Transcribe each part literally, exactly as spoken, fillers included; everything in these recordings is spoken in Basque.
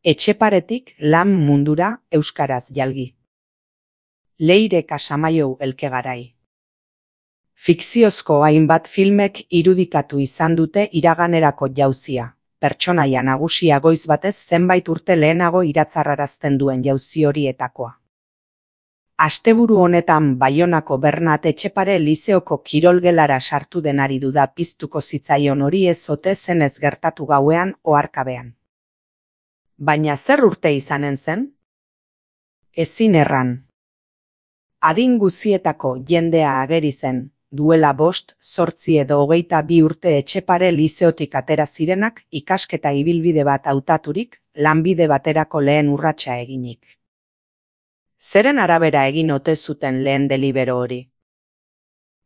Etxeparetik lan mundura euskaraz jalgi. Leire Casamaiou Elkegarai. Fikziozko hainbat filmek irudikatu izan dute iraganerako jauzia, pertsonaia nagusia goiz batez zenbait urte lehenago iratzarrarazten duen jauzi horietakoa. Asteburu honetan Baionako Bernat Etxepare lizeoko kirolgelara sartu denari duda piztuko zitzaion hori ez ote zenez gertatu gauean oharkabean. Baina zer urte izanen zen? Ezin erran. Adin guzietako jendea ageri zen, duela bost, zortzi edo hogeita bi urte Etxepare lizeotik atera zirenak ikasketa ibilbide bat hautaturik, lanbide baterako lehen urratsa eginik. Zeren arabera egin ote zuten lehen delibero hori?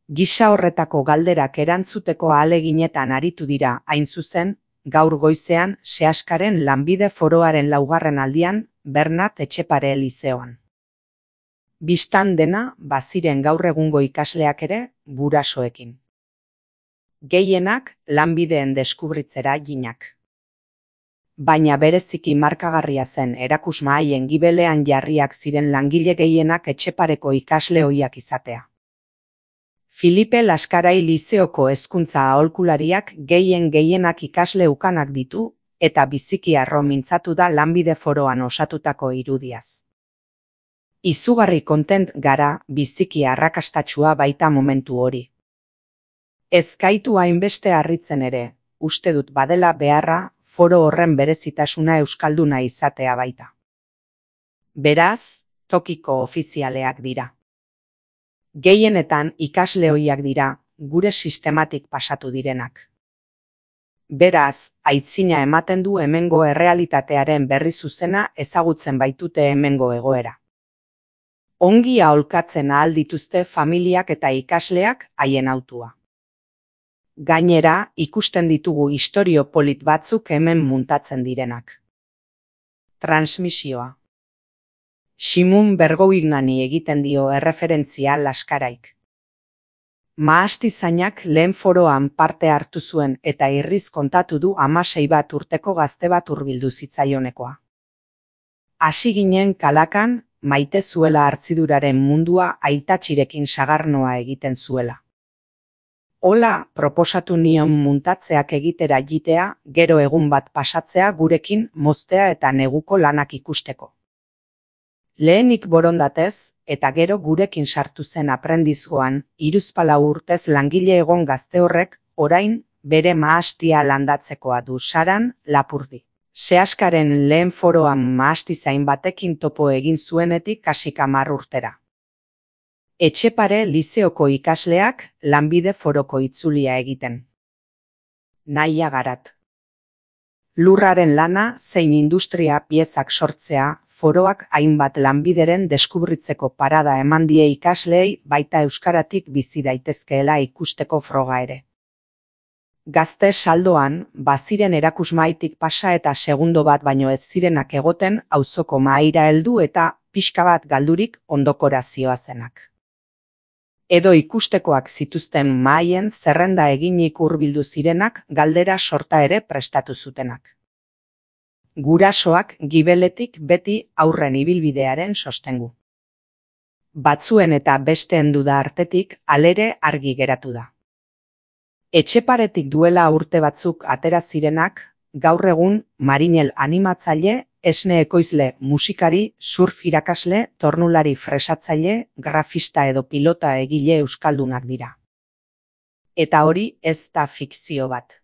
Gisa horretako galderak erantzuteko ahaleginetan aritu dira, hain zuzen, gaur goizean Seaskaren lanbide foroaren laugarren aldian Bernat Etxepare lizeoan. Bistan dena, baziren gaur egungo ikasleak ere, gurasoekin. Gehienak lanbideen deskubritzera ginak. Baina bereziki markagarria zen erakusmahaien gibelean jarriak ziren langile gehienak Etxepareko ikasle ohiak izatea. Filipe Laskarai lizeoko hezkuntza aholkulariak gehien gehienak ikasle ukanak ditu, eta biziki harro mintzatu da lanbide foroan osatutako irudiaz. Izugarri kontent gara biziki arrakastatsua baita momentu hori. Ez gaitu hainbeste harritzen ere, uste dut badela beharra, foro horren berezitasuna euskalduna izatea baita. Beraz, tokiko ofizialeak dira. Gehienetan ikasle ohiak dira, gure sistematik pasatu direnak. Beraz, aitzina ematen du hemengo errealitatearen berri zuzena ezagutzen baitute hemengo egoera. Ongi aholkatzen ahal dituzte familiak eta ikasleak haien hautua. Gainera, ikusten ditugu istorio polit batzuk hemen muntatzen direnak. Transmisioa. Simun Bergoignani egiten dio erreferentzia Laskaraik. Mahastizainak lehen foroan parte hartu zuen eta irriz kontatu du hamasei bat urteko gazte bat hurbildu zitzaionekoa. Hasi ginen kalakan, maite zuela hartziduraren mundua aitatxirekin sagarnoa egiten zuela. Hola, proposatu nion muntatzeak egitera jitea, gero egun bat pasatzea gurekin moztea eta neguko lanak ikusteko. Lehenik borondatez, eta gero gurekin sartu zen aprendizgoan, hiruzpalau urtez langile egon gazte horrek, orain, bere mahastia landatzekoa du Saran Lapurdi. Seaskaren lehen foroan mahastizain batekin topo egin zuenetik kasik hamar urtera. Etxepare lizeoko ikasleak lanbide foroko itzulia egiten. Nahia garat. Lurraren lana zein industria piezak sortzea, foroak hainbat lanbideren deskubritzeko parada eman die ikasleei baita euskaratik bizi daitezkeela ikusteko froga ere. Gazte saldoan, baziren erakusmaitik pasa eta segundo bat baino ez zirenak egoten auzoko mahaira heldu eta pixka bat galdurik ondokora zihoazenak. Edo ikustekoak zituzten mahaien zerrenda eginik hurbildu zirenak galdera sorta ere prestatu zutenak. Gurasoak gibeletik beti aurren ibilbidearen sostengu. Batzuen eta besteen duda artetik alere argi geratu da. Etxeparetik duela urte batzuk atera zirenak, gaur egun marinel animatzaile, esne ekoizle, musikari, surf irakasle, tornulari fresatzaile, grafista edo pilota egile euskaldunak dira. Eta hori ez da fikzio bat.